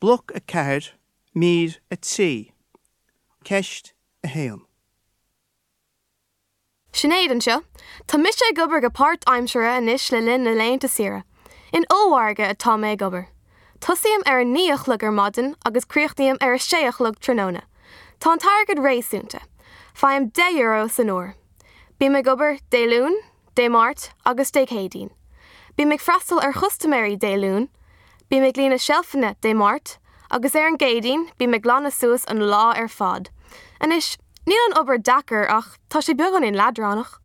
Bloc 4, Mír 3, Ceist 1. Sinéad anseo. Tá mise ag obair go páirtaimseartha anois le linn na laethanta saoire. In ollmhargadh atá mé ag obair. Tosaím ar a 9 a chlog ar maidin agus críochnaím ar a 6 a chlog tráthnóna. Tá an t-airgead réasúnta. Faighim €10 san uair. Bím ag obair Dé Luain, Dé Máirt agus Dé Céadaoin. Bím ag freastal ar chustaiméirí Dé Luain, bím ag líonadh seilfeanna Dé Máirt, agus ar an gCéadaoin bím ag glanadh suas an lá ar fad. Anois, níl an obair deacair ach tá sé beagáinín leadránach.